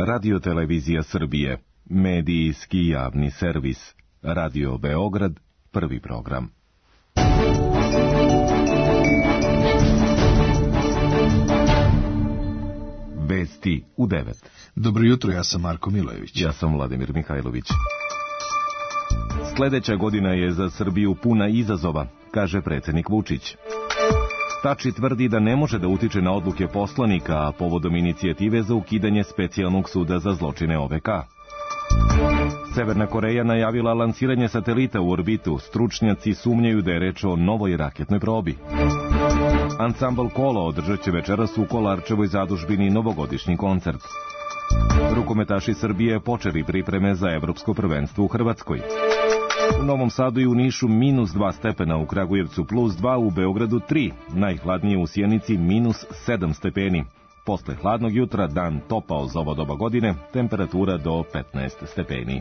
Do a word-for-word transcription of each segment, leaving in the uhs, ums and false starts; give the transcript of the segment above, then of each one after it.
Radio-televizija Srbije, medijski javni servis, Radio Beograd, prvi program. Vesti u devet. Dobro jutro, ja sam Marko Milojević. Ja sam Vladimir Mihajlović. Sledeća godina je za Srbiju puna izazova, kaže predsjednik Vučić. Tači tvrdi da ne može da utiče na odluke poslanika, a povodom inicijative za ukidanje specijalnog suda za zločine O V K. Severna Koreja najavila lansiranje satelita u orbitu. Stručnjaci sumnjaju da je reč o novoj raketnoj probi. Ansambl Kolo održat će večeras u Kolarčevoj zadužbini novogodišnji koncert. Rukometaši Srbije počeli pripreme za evropsko prvenstvo u Hrvatskoj. U Novom Sadu i u Nišu minus dva stepena, u Kragujevcu plus dva, u Beogradu tri, najhladnije u Sjenici minus sedam stepeni. Posle hladnog jutra dan topao za ovo doba godine, temperatura do petnaest stepeni.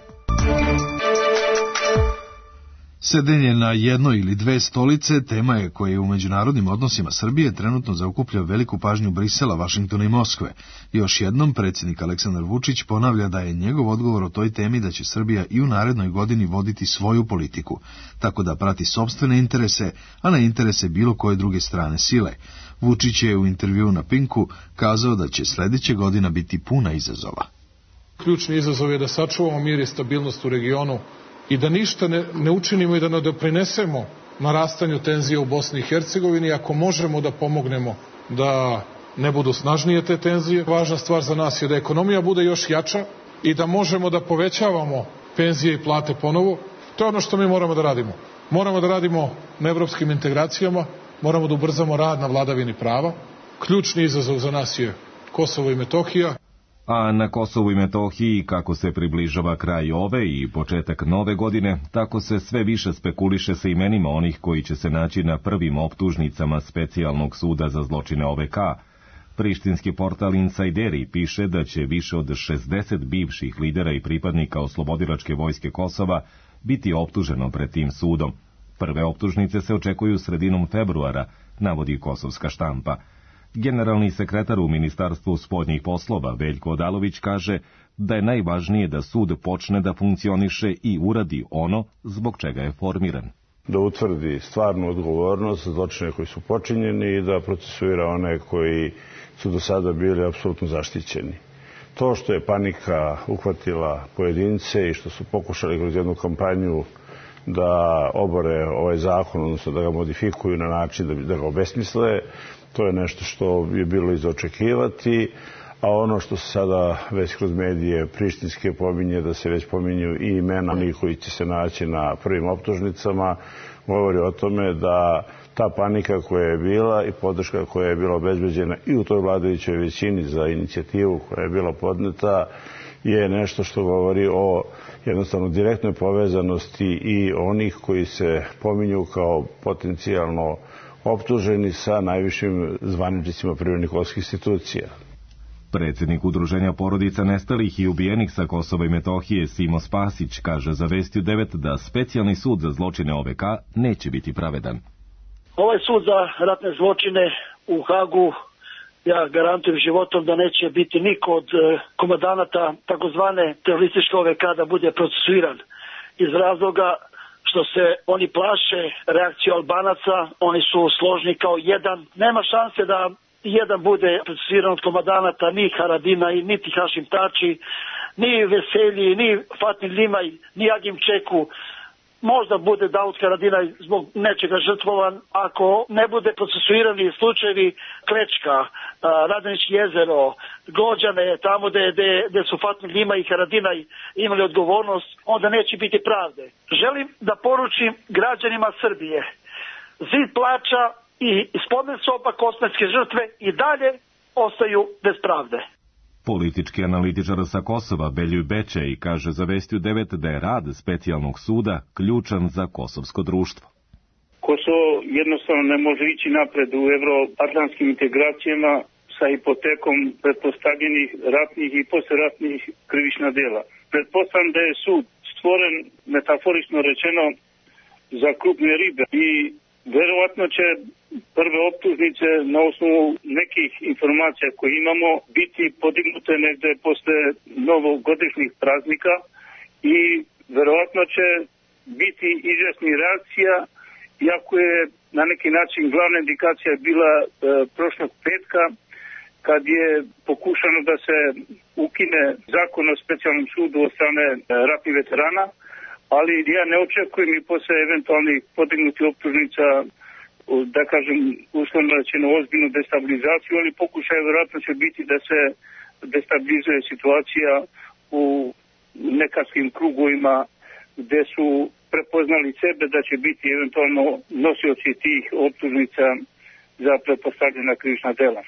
Sedenje na jednoj ili dve stolice tema je koja je u međunarodnim odnosima Srbije trenutno zaokuplja veliku pažnju Brisela, Vašingtona i Moskve. Još jednom predsjednik Aleksandar Vučić ponavlja da je njegov odgovor o toj temi da će Srbija i u narednoj godini voditi svoju politiku, tako da prati sopstvene interese, a ne interese bilo koje druge strane sile. Vučić je u intervjuu na Pinku kazao da će sledeća godina biti puna izazova. Ključni izazov je da sačuvamo mir i stabilnost u regionu i da ništa ne, ne učinimo i da ne doprinesemo narastanju tenzija u Bosni i Hercegovini, ako možemo da pomognemo da ne budu snažnije te tenzije. Važna stvar za nas je da ekonomija bude još jača i da možemo da povećavamo penzije i plate ponovo. To je ono što mi moramo da radimo. Moramo da radimo na evropskim integracijama, moramo da ubrzamo rad na vladavini prava. Ključni izazov za nas je Kosovo i Metohija. A na Kosovu i Metohiji, kako se približava kraj ove i početak nove godine, tako se sve više spekuliše sa imenima onih koji će se naći na prvim optužnicama specijalnog suda za zločine O V K. Prištinski portal Insajderi piše da će više od šezdeset bivših lidera i pripadnika oslobodilačke vojske Kosova biti optuženo pred tim sudom. Prve optužnice se očekuju sredinom februara, navodi kosovska štampa. Generalni sekretar u Ministarstvu spoljnih poslova Veljko Odalović kaže da je najvažnije da sud počne da funkcioniše i uradi ono zbog čega je formiran. Da utvrdi stvarnu odgovornost za zločine koji su počinjeni i da procesuira one koji su do sada bili apsolutno zaštićeni. To što je panika uhvatila pojedince i što su pokušali kroz jednu kampanju da obore ovaj zakon, odnosno da ga modifikuju na način da, da ga obesmisle, to je nešto što je bilo iz očekivati, a ono što se sada već kroz medije prištinske pominje, da se već pominju i imena onih koji će se naći na prvim optužnicama, govori o tome da ta panika koja je bila i podrška koja je bila obezbeđena i u toj vladajućoj većini za inicijativu koja je bila podneta je nešto što govori o jednostavno direktnoj povezanosti i onih koji se pominju kao potencijalno optuženi sa najvišim zvaničnicima privremenih kosovskih institucija. Predsjednik Udruženja porodica nestalih i ubijenih sa Kosova i Metohije Simo Spasić kaže za Vesti u devet da specijalni sud za zločine O V K neće biti pravedan. Ovaj sud za ratne zločine u Hagu, ja garantujem životom da neće biti niko od komandanata takozvane terorističke O V K da bude procesuiran. Iz razloga što se oni plaše reakciju Albanaca, oni su složni kao jedan. Nema šanse da jedan bude procesuiran od komandanata, ni Haradina, niti Hašim Tači, ni Veselji, ni Fatmir Limaj, ni Agim Čeku. Možda bude Davud Haradinaj zbog nečega žrtvovan, ako ne bude procesuirani slučajevi Klečka, Radanić jezero, Glođane, tamo gde, gde, gde su Fatmir Limaj i Haradinaj imali odgovornost, onda neće biti pravde. Želim da poručim građanima Srbije, zid plača i spomen soba kosmetske žrtve i dalje ostaju bez pravde. Politički analitičar sa Kosova Beljuj Bečej kaže za Vesti u devet da je rad specijalnog suda ključan za kosovsko društvo. Kosovo jednostavno ne može ići napred u evroatlantskim integracijama sa hipotekom pretpostavljenih ratnih i posleratnih krivična dela. Pretpostavljam da je sud stvoren, metaforično rečeno, za krupne ribe i Verovatno će prve optužnice na osnovu nekih informacija koje imamo biti podignute negde posle novogodišnjih praznika i verovatno će biti izjasni reakcija, iako je na neki način glavna indikacija bila e, prošlog petka, kad je pokušano da se ukine zakon o specijalnom sudu od strane e, ratnih veterana, ali ja ne očekujem i posle eventualnih podignutih optužnica, da kažem, uslovno rečeno ozbiljnu destabilizaciju, ali pokušaj verovatno će biti da se destabilizuje situacija u nekarskim krugovima gde su prepoznali sebe da će biti eventualno nosioci tih optužnica za pretpostavljena krivična dela.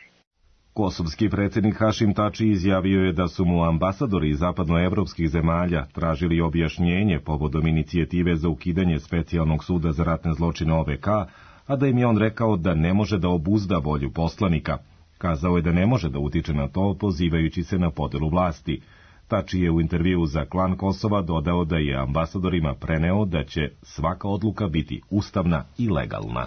Kosovski predsjednik Hašim Tači izjavio je da su mu ambasadori zapadnoevropskih zemalja tražili objašnjenje povodom inicijative za ukidanje specijalnog suda za ratne zločine O V K, a da im je on rekao da ne može da obuzda volju poslanika. Kazao je da ne može da utiče na to, pozivajući se na podelu vlasti. Tači je u intervju za Klan Kosova dodao da je ambasadorima preneo da će svaka odluka biti ustavna i legalna.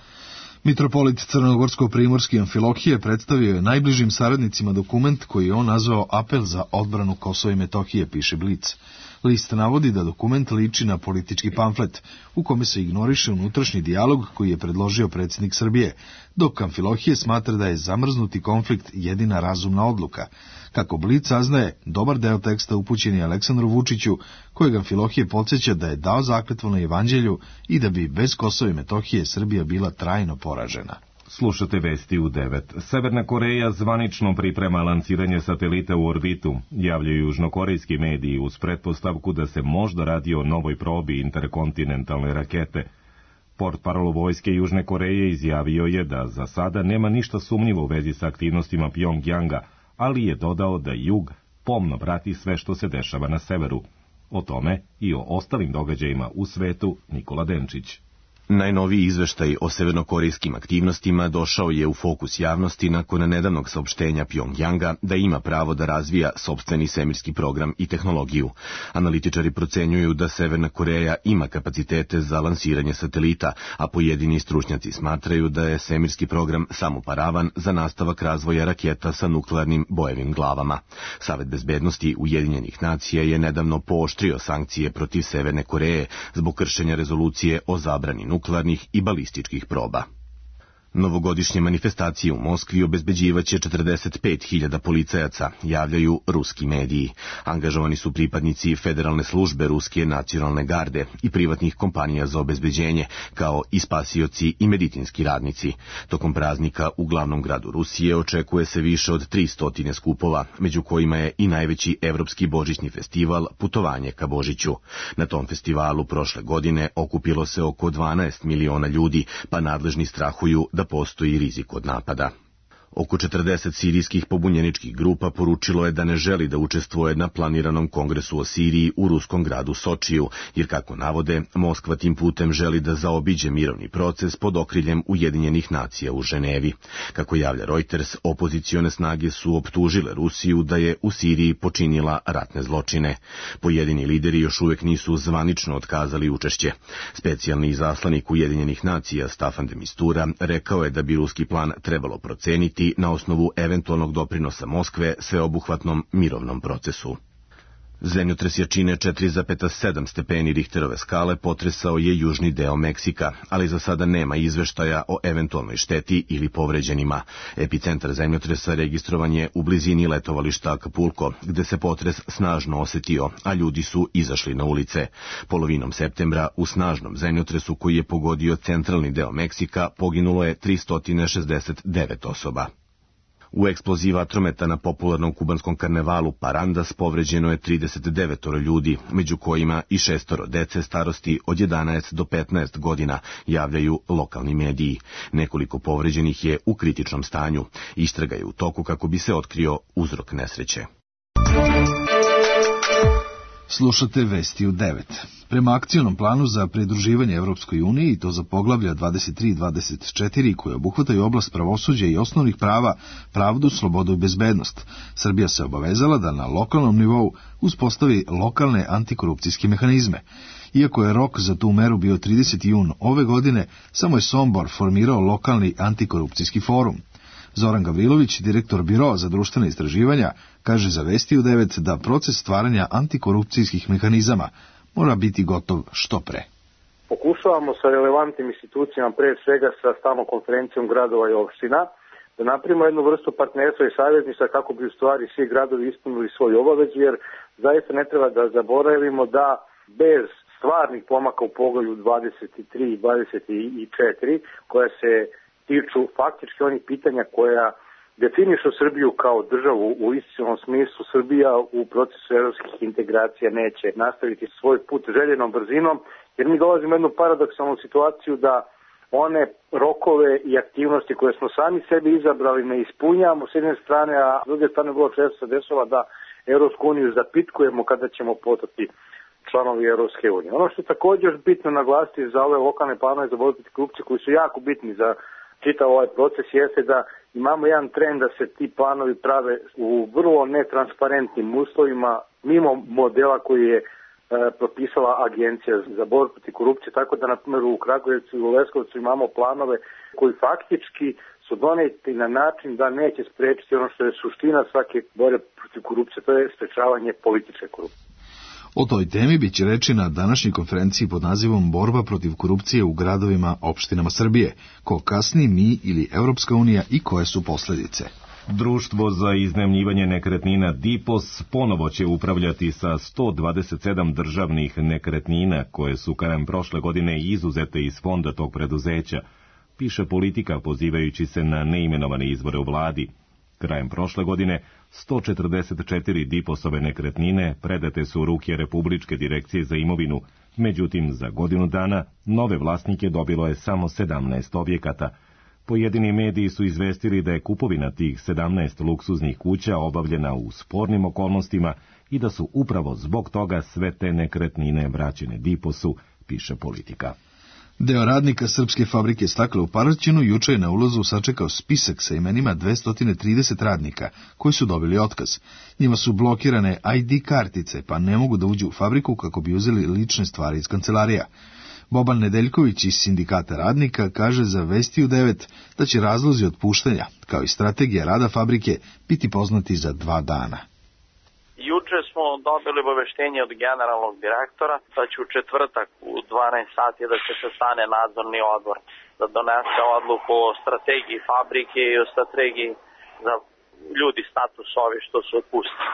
Mitropolit Crnogorsko-primorski Amfilohije predstavio je najbližim saradnicima dokument koji je on nazvao Apel za odbranu Kosova i Metohije, piše Blic. List navodi da dokument liči na politički pamflet, u kome se ignoriše unutrašnji dijalog koji je predložio predsjednik Srbije, dok Amfilohije smatra da je zamrznuti konflikt jedina razumna odluka. Kako Blic saznaje, dobar deo teksta upućen je Aleksandru Vučiću, kojeg Amfilohije podsjeća da je dao zakletvu na Evanđelju i da bi bez Kosova i Metohije Srbija bila trajno poražena. Slušate vesti u devet. Severna Koreja zvanično priprema lansiranje satelita u orbitu, javljaju južnokorejski mediji uz pretpostavku da se možda radi o novoj probi interkontinentalne rakete. Portparol vojske Južne Koreje izjavio je da za sada nema ništa sumnjivo u vezi sa aktivnostima Pjongjanga, ali je dodao da jug pomno prati sve što se dešava na severu. O tome i o ostalim događajima u svetu Nikola Denčić. Najnoviji izveštaj o severnokorejskim aktivnostima došao je u fokus javnosti nakon nedavnog saopštenja Pjongjanga da ima pravo da razvija sopstveni svemirski program i tehnologiju. Analitičari procenjuju da Severna Koreja ima kapacitete za lansiranje satelita, a pojedini stručnjaci smatraju da je svemirski program samo paravan za nastavak razvoja raketa sa nuklearnim bojevim glavama. Savet bezbednosti Ujedinjenih nacija je nedavno pooštrio sankcije protiv Severne Koreje zbog kršenja rezolucije o zabrani nuklearnih i balističkih proba. Novogodišnje manifestacije u Moskvi obezbeđivaće četrdeset pet hiljada policajaca, javljaju ruski mediji. Angažovani su pripadnici Federalne službe Ruske nacionalne garde i privatnih kompanija za obezbeđenje, kao i spasioci i medicinski radnici. Tokom praznika u glavnom gradu Rusije očekuje se više od tristo skupova, među kojima je i najveći evropski božićni festival Putovanje ka Božiću. Na tom festivalu prošle godine okupilo se oko dvanaest miliona ljudi, pa nadležni strahuju da postoji rizik od napada. Oko četrdeset sirijskih pobunjeničkih grupa poručilo je da ne želi da učestvuje na planiranom kongresu o Siriji u ruskom gradu Sočiju, jer kako navode, Moskva tim putem želi da zaobiđe mirovni proces pod okriljem Ujedinjenih nacija u Ženevi. Kako javlja Reuters, opozicione snage su optužile Rusiju da je u Siriji počinila ratne zločine. Pojedini lideri još uvijek nisu zvanično otkazali učešće. Specijalni izaslanik Ujedinjenih nacija Staffan de Mistura rekao je da bi ruski plan trebalo proceniti na osnovu eventualnog doprinosa Moskve sveobuhvatnom mirovnom procesu. Zemljotres jačine četiri zarez sedam stepeni Richterove skale potresao je južni deo Meksika, ali za sada nema izveštaja o eventualnoj šteti ili povređenima. Epicentar zemljotresa registrovan je u blizini letovališta Acapulco, gde se potres snažno osetio, a ljudi su izašli na ulice. Polovinom septembra u snažnom zemljotresu koji je pogodio centralni deo Meksika poginulo je tristo šezdeset devet osoba. U eksploziji vatrometa na popularnom kubanskom karnevalu Parandas povređeno je trideset devet ljudi, među kojima i šestoro dece starosti od jedanaest do petnaest godina, javljaju lokalni mediji. Nekoliko povređenih je u kritičnom stanju. Istraga je u toku kako bi se otkrio uzrok nesreće. Slušate Vesti u devet. Prema akcionom planu za pridruživanje Evropskoj uniji, i to za poglavlja dvadeset tri i dvadeset četiri, koje obuhvataju oblast pravosuđa i osnovnih prava, pravdu, slobodu i bezbednost, Srbija se obavezala da na lokalnom nivou uspostavi lokalne antikorupcijske mehanizme. Iako je rok za tu meru bio trideseti jun ove godine, samo je Sombor formirao lokalni antikorupcijski forum. Zoran Gavrilović, direktor Biroa za društvene istraživanja, kaže za Vesti u devet da proces stvaranja antikorupcijskih mehanizama mora biti gotov što pre. Pokušavamo sa relevantnim institucijama, pre svega sa stalnom konferencijom gradova i opština, da napravimo jednu vrstu partnerstva i savjetništva kako bi u stvari svi gradovi ispunili svoju obavezu, jer zaista ne treba da zaboravimo da bez stvarnih pomaka u poglavlju dvadeset tri i dvadeset četiri, koja se tiču faktički onih pitanja koja definišu Srbiju kao državu u istinnom smislu, Srbija u procesu evropskih integracija neće nastaviti svoj put željenom brzinom, jer mi dolazimo u jednu paradoksalnu situaciju da one rokove i aktivnosti koje smo sami sebi izabrali ne ispunjamo s jedne strane, a s druge strane vrlo često se dešava da Evropsku uniju zapitkujemo kada ćemo postati članovi Evropske unije. Ono što je također bitno naglasiti za ove lokalne planove za borbu protiv korupcije koji su jako bitni za čitav ovaj proces jeste da imamo jedan trend da se ti planovi prave u vrlo netransparentnim uslovima, mimo modela koji je e, propisala Agencija za borbu protiv korupcije, tako da na primjer u Kragujevcu i u Leskovcu imamo planove koji faktički su doneti na način da neće sprečiti ono što je suština svake borbe protiv korupcije, to je sprečavanje političke korupcije. O toj temi biće reči na današnjoj konferenciji pod nazivom Borba protiv korupcije u gradovima, opštinama Srbije. Ko kasni, mi ili Evropska unija i koje su posledice? Društvo za iznajmljivanje nekretnina Dipos ponovo će upravljati sa sto dvadeset sedam državnih nekretnina koje su krajem prošle godine izuzete iz fonda tog preduzeća, piše Politika pozivajući se na neimenovane izvore u vladi. Krajem prošle godine sto četrdeset četiri Diposove nekretnine predate su u ruke Republičke direkcije za imovinu, međutim za godinu dana nove vlasnike dobilo je samo sedamnaest objekata. Pojedini mediji su izvestili da je kupovina tih sedamnaest luksuznih kuća obavljena u spornim okolnostima i da su upravo zbog toga sve te nekretnine vraćene Diposu, piše Politika. Deo radnika Srpske fabrike stakla u Paraćinu juče je na ulazu sačekao spisak sa imenima dvesta trideset radnika koji su dobili otkaz. Njima su blokirane I D kartice, pa ne mogu da uđu u fabriku kako bi uzeli lične stvari iz kancelarija. Boban Nedeljković iz Sindikata radnika kaže za Vesti u devet da će razlozi otpuštanja, kao i strategija rada fabrike, biti poznati za dva dana. Juče smo dobili obaveštenje od generalnog direktora da će u četvrtak u dvanaest sati da će se stane nadzorni odbor da donese odluku o strategiji fabrike i o strategiji za ljudi status ovi što su otpustili.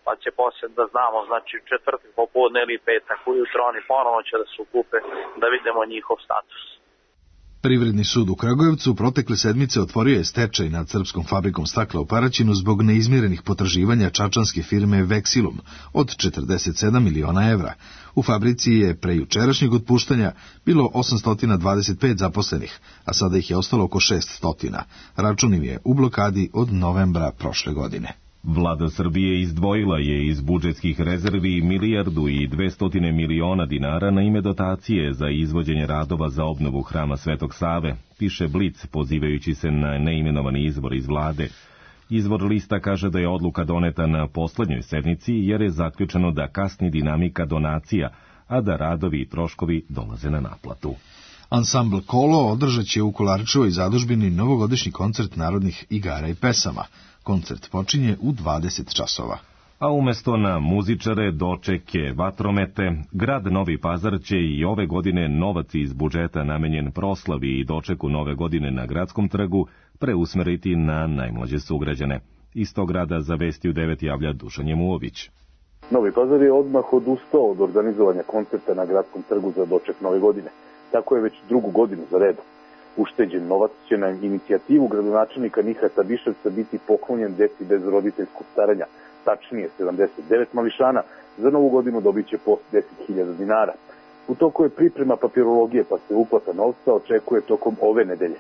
Pa će poslije da znamo, znači četvrtak popodne ili petak ujutro oni ponovo će da se ukupe da vidimo njihov status. Privredni sud u Kragujevcu protekle sedmice otvorio je stečaj nad Srpskom fabrikom stakla u Paraćinu zbog neizmirenih potraživanja čačanske firme Vexilum od četrdeset sedam miliona evra. U fabrici je pre jučerašnjeg otpuštanja bilo osamsto dvadeset pet zaposlenih, a sada ih je ostalo oko šeststo. Račun im je u blokadi od novembra prošle godine. Vlada Srbije izdvojila je iz budžetskih rezervi milijardu i dvestotine miliona dinara na ime dotacije za izvođenje radova za obnovu Hrama Svetog Save, piše Blic pozivajući se na neimenovani izvor iz vlade. Izvor lista kaže da je odluka doneta na poslednjoj sednici jer je zaključeno da kasni dinamika donacija, a da radovi i troškovi dolaze na naplatu. Ansambl Kolo održat će u Kolarčevoj zadužbini novogodišnji koncert narodnih igara i pesama. Koncert počinje u dvadeset časova. A umesto na muzičare, dočeke, vatromete, grad Novi Pazar će i ove godine novac iz budžeta namenjen proslavi i dočeku nove godine na Gradskom trgu preusmeriti na najmlađe sugrađane. Iz tog grada za Vesti u devet javlja Dušan Jemuović. Novi Pazar je odmah odustao od organizovanja koncerta na Gradskom trgu za doček nove godine. Tako je već drugu godinu za redom. Ušteđen novac će na inicijativu gradonačelnika Nihata Biševca biti poklonjen deci bez roditeljskog staranja, tačnije sedamdeset devet mališana, za novu godinu dobit će po deset hiljada dinara. U toku je priprema papirologije, pa se uplata novca očekuje tokom ove nedelje.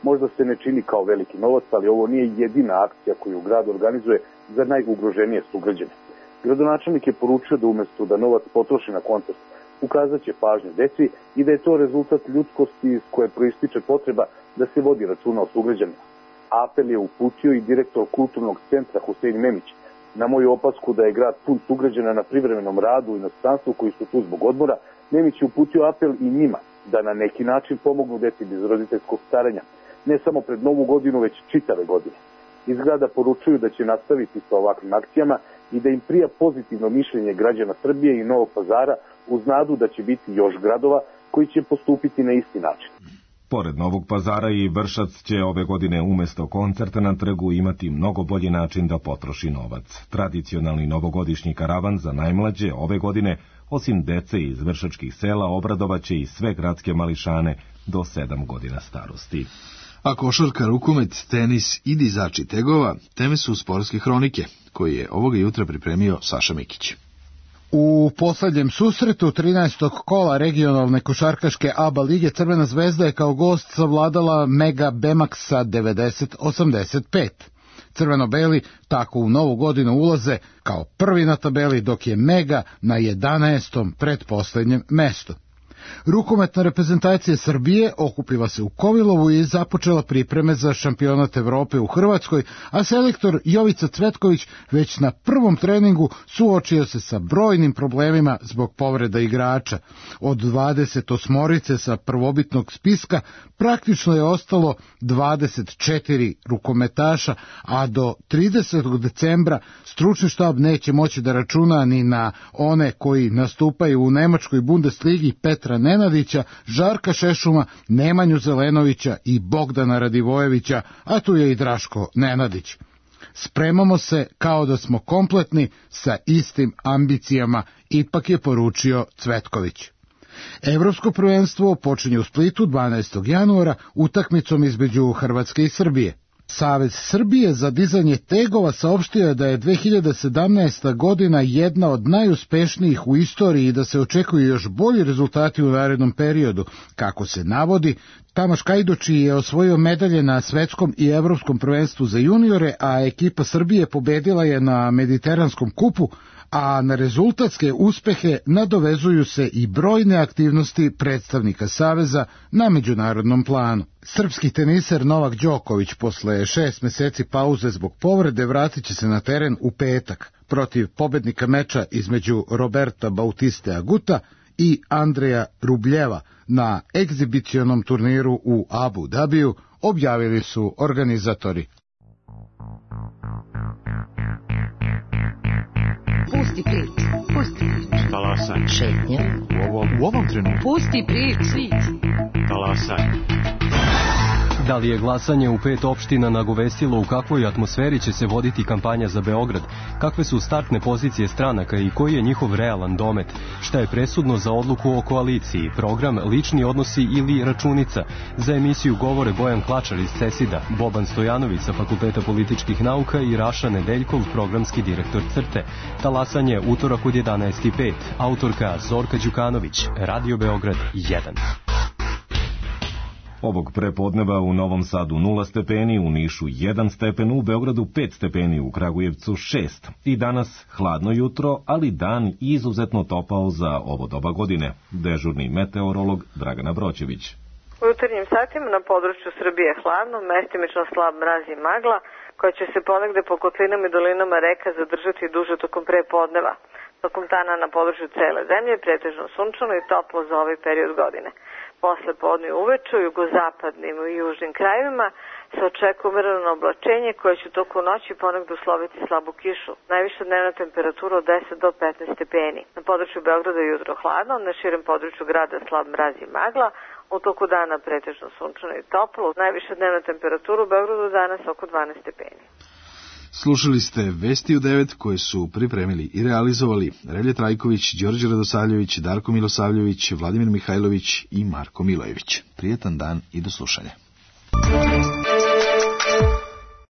Možda se ne čini kao veliki novac, ali ovo nije jedina akcija koju grad organizuje za najugroženije sugrađane. Gradonačelnik je poručio da umesto da novac potroši na koncert, ukazat će pažnju deci i da je to rezultat ljudskosti iz koje proističe potreba da se vodi računa o sugrađanima. Apel je uputio i direktor kulturnog centra Husein Memić. Na moju opasku da je grad pun sugrađana na privremenom radu u inostranstvu koji su tu zbog odmora, Memić je uputio apel i njima da na neki način pomognu deci bez roditeljskog staranja, ne samo pred Novu godinu, već čitave godine. Iz grada poručuju da će nastaviti sa ovakvim akcijama i da im prija pozitivno mišljenje građana Srbije i Novog Pazara uz nadu da će biti još gradova koji će postupiti na isti način. Pored Novog Pazara i Vršac će ove godine umesto koncerta na trgu imati mnogo bolji način da potroši novac. Tradicionalni novogodišnji karavan za najmlađe ove godine, osim dece iz vršačkih sela, obradovaće i sve gradske mališane do sedam godina starosti. A košarka, rukomet, tenis i dizači tegova teme su sportske hronike, koji je ovoga jutra pripremio Saša Mikić. U poslednjem susretu trinaestog kola regionalne košarkaške A B A lige Crvena zvezda je kao gost savladala Mega Bemax sa devedeset osamdeset pet. Crveno-beli tako u novu godinu ulaze kao prvi na tabeli, dok je Mega na jedanaestom pretposlednjem mestu. Rukometna reprezentacija Srbije okupila se u Kovilovu i započela pripreme za šampionat Evrope u Hrvatskoj, a selektor Jovica Cvetković već na prvom treningu suočio se sa brojnim problemima zbog povreda igrača. Od dvadeset osmorice sa prvobitnog spiska praktično je ostalo dvadeset četiri rukometaša, a do tridesetog decembra stručni štab neće moći da računa ni na one koji nastupaju u Nemačkoj Bundesligi Petra Nenadića, Žarka Šešuma, Nemanju Zelenovića i Bogdana Radivojevića, a tu je i Draško Nenadić. Spremamo se kao da smo kompletni sa istim ambicijama, ipak je poručio Cvetković. Evropsko prvenstvo počinje u Splitu dvanaestog januara utakmicom između Hrvatske i Srbije. Savez Srbije za dizanje tegova saopštio je da je dve hiljade sedamnaesta. godina jedna od najuspešnijih u istoriji i da se očekuju još bolji rezultati u narednom periodu. Kako se navodi, Tamaš Kajdoči je osvojio medalje na svetskom i evropskom prvenstvu za juniore, a ekipa Srbije pobedila je na Mediteranskom kupu, a na rezultatske uspehe nadovezuju se i brojne aktivnosti predstavnika Saveza na međunarodnom planu. Srpski teniser Novak Đoković posle šest meseci pauze zbog povrede vratit će se na teren u petak protiv pobednika meča između Roberta Bautiste Aguta i Andreja Rubljeva na egzibicionom turniru u Abu Dabiju, objavili su organizatori. Pusti priču, pusti priču. Talasaj. Šetnja. U ovom, u ovom trenutku. Pusti priču. Talasaj. Da li je glasanje u pet opština nagovestilo u kakvoj atmosferi će se voditi kampanja za Beograd? Kakve su startne pozicije stranaka i koji je njihov realan domet? Šta je presudno za odluku o koaliciji? Program, lični odnosi ili računica? Za emisiju govore Bojan Klačar iz Cesida, Boban Stojanović sa Fakulteta političkih nauka i Raša Nedeljkov, programski direktor Crte. Talasanje utorak od jedanaest i pet. Autorka Zorka Đukanović. Radio Beograd jedan. Ovog prepodneva u Novom Sadu nula stepeni, u Nišu jedan stepen, u Beogradu pet stepeni, u Kragujevcu šest. I danas hladno jutro, ali dan izuzetno topao za ovo doba godine. Dežurni meteorolog Dragana Broćević. U jutarnjim satima na području Srbije je hladno, mestimično slab mraz i magla, koja će se ponegde po kotlinama i dolinama reka zadržati duže tokom prepodneva. Tokom dana na području cele zemlje pretežno sunčano i toplo za ovaj period godine. Posle podne uveče u jugozapadnim i južnim krajevima se očekuje umereno oblačenje koje će toku noći ponegde usloviti slabu kišu. Najviša dnevna temperatura od deset do petnaest stepeni. Na području Beograda je jutro hladno, na širem području grada slab mraz i magla, u toku dana pretežno sunčano i toplo. Najviša dnevna temperatura u Beogradu danas oko dvanaest stepeni. Slušali ste Vesti u devet koje su pripremili i realizovali Relje Trajković, Đorđe Radosavljević, Darko Milosavljević, Vladimir Mihajlović i Marko Milojević. Prijetan dan i do slušanja.